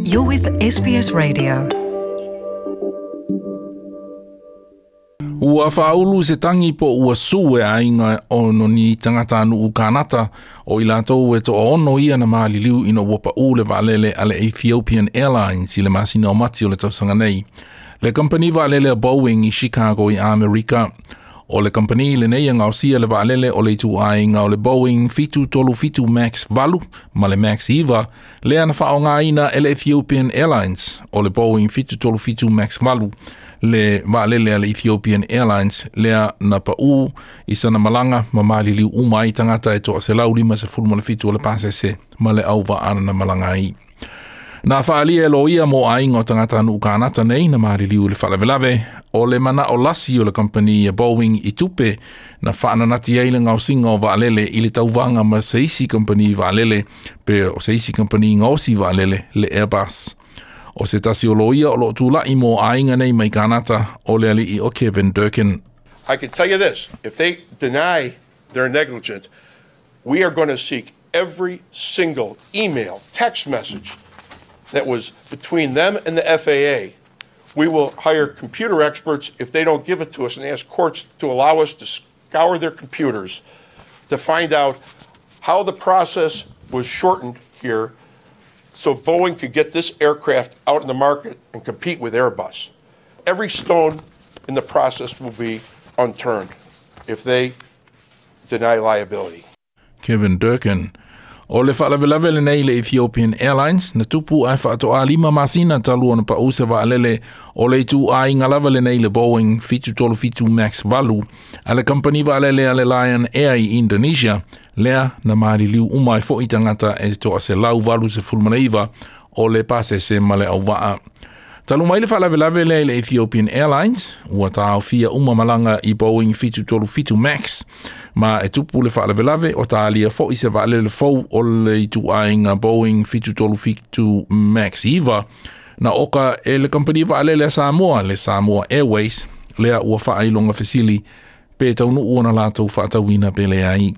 You're with SBS Radio. Ua faaulu se tagi po ua sue aiga o ni tagatanuʻu Kanata o i latou e 60 ia na maliliu ina ua paʻū le vaalele a le Ethiopian Airlines i le masina o Mati o le tausaga nei. Le kampani vaalele a Boeing i Chicago i Amerika. O le kampani lenei e gaosia le vaalele o le ituaiga o le Boeing 737 Max 8 ma le Max 9 lea na faaaogaina e le Ethiopian Airlines. O le Boeing 737 Max 8 le vaalele a le Ethiopian Airlines lea na paʻū i sana malaga ma maliliu uma ai tagata e 157 o le pasese ma le auvaa na malaga ai. Na faaalia e loia mo aiga o tagatanuʻu Kanata nei na maliliu i le faalavelave o le manaʻo lasi o le kampani a Boeing i tupe na faananati ai le gaosiga o vaalele i le tauvaga ma se isi kampani vaalele pe o se isi kampani gaosi vaalele le Airbus. O se tasi o loia o loo tulaʻi mo aiga nei mai Kanata o le aliʻi o Kevin Durkin. I can tell you this, if they deny they're negligent, we are going to seek every single email, text message that was between them and the FAA. We will hire computer experts if they don't give it to us and ask courts to allow us to scour their computers to find out how the process was shortened here so Boeing could get this aircraft out in the market and compete with Airbus. Every stone in the process will be unturned if they deny liability. Kevin Durkin. O le faalavelave lenei le Ethiopian Airlines na tupu ae faatoa 5 masina talu ona paʻū se vaalele o le ituaiga lava lenei le Boeing 737 Max 8 a le kampani vaalele a le Lion Air i Indonesia lea na maliliu uma ai foʻi tagata e 189 o le pasese ma le auvaa. Talu mai le faalavelave lea i le Ethiopian Airlines, ua taofia uma malaga i Boeing 737 Max, ma e tupu le faalavelave o talia foʻi se vaalele fou o le ituaiga Boeing 737 Max 9 na oka e le kampani vaalele a Samoa, le Samoa Airways, lea ua faailoga fesili pe taunuu ona latou faatauina pe leai.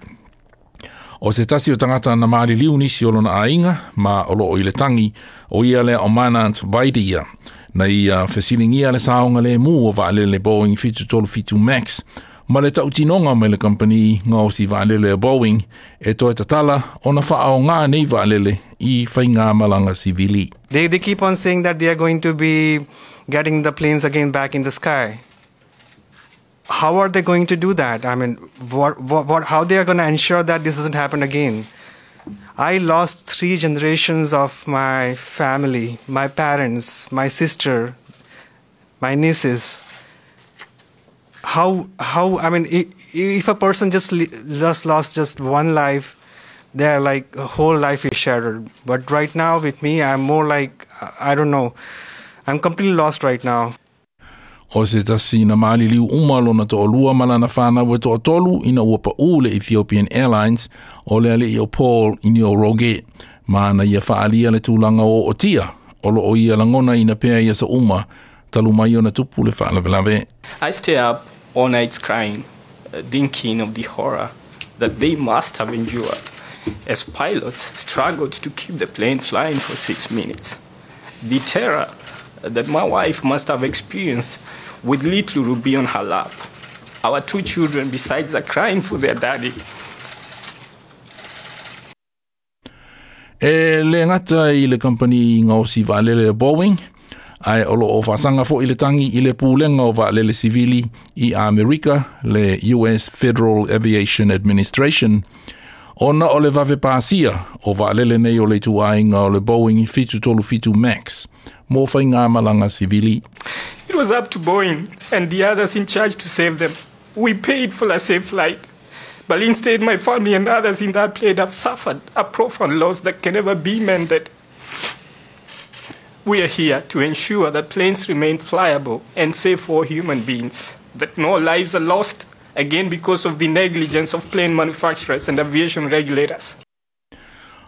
O se tasi o tagata na maliliu nisi o lona aiga ma o loo i le tagi o ia lea o Manant Vaidia. Na ia fesiligia le saogalemu o vaalele Boeing 737 Max ma le tautinoga mai le kampani gaosi vaalele a Boeing e toe tatala ona faaogā nei vaalele i faigamalaga sivili. They keep on saying that they are going to be getting the planes again back in the sky. How are they going to do that? I mean, how they are going to ensure that this doesn't happen again? I lost 3 generations of my family, my parents, my sister, my nieces. If a person just lost just one life, their whole life is shattered. But right now with me, I'm more like, I don't know, I'm completely lost right now. O se tasi na maliliu uma lona toʻalua ma lana fanau e 3 ina ua paʻū le Ethiopian Airlines o le aliʻi o Paul Njoroge. Ma na ia faaalia le tulaga o ootia o loo ia lagona ina pea ia sa uma talu mai ona tupu le faalavelave. I stay up all nights crying, thinking of the horror that they must have endured as pilots struggled to keep the plane flying for 6 minutes. The terror that my wife must have experienced with little Ruby on her lap. Our 2 children besides are crying for their daddy. E le gata i le kampani gaosi vaalele a Boeing, ae o loo faasaga foʻi le tagi i le pulega o vaalele sivili i Amerika, le US Federal Aviation Administration, ona o le vave pasia o vaalele nei o le ituaiga o le Boeing 737 Max mo faigamalaga sivili. It was up to Boeing and the others in charge to save them. We paid for a safe flight. But instead, my family and others in that plane have suffered a profound loss that can never be mended. We are here to ensure that planes remain flyable and safe for human beings, that no lives are lost again because of the negligence of plane manufacturers and aviation regulators.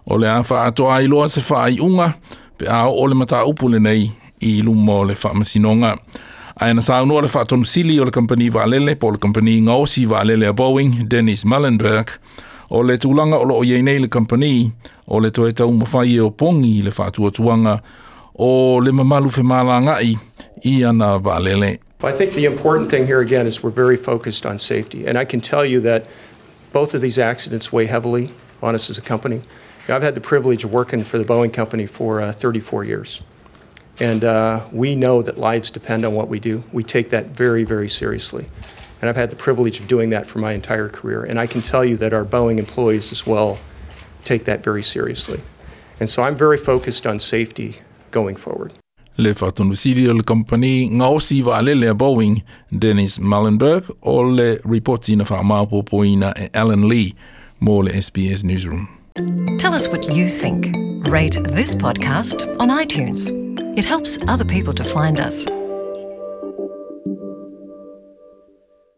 O le a faatoa iloa se faaiuga pe a oo le mataupu lenei i luma o le faamasinoga. Ae na saunoa le faatonusili o le kampani vaalele po o le kampani gaosi vaalele a Boeing, Dennis Muilenburg, o le tulaga o loo iai nei le kampani o le toe taumafai e opogi i le faatuatuaga O le mamalu femalaga'i i ana vaalele. I think the important thing here again is we're very focused on safety. And I can tell you that both of these accidents weigh heavily on us as a company. I've had the privilege of working for the Boeing company for 34 years. And we know that lives depend on what we do. We take that very, very seriously. And I've had the privilege of doing that for my entire career. And I can tell you that our Boeing employees as well take that very seriously. And so I'm very focused on safety going forward. Le Faatonusili o le Kamupani Gaosi Vaalele a Boeing, Dennis Muilenburg, o le ripoti na faamaopoopoina e Alan Lee mo le SBS Newsroom. Tell us what you think. Rate this podcast on iTunes. It helps other people to find us.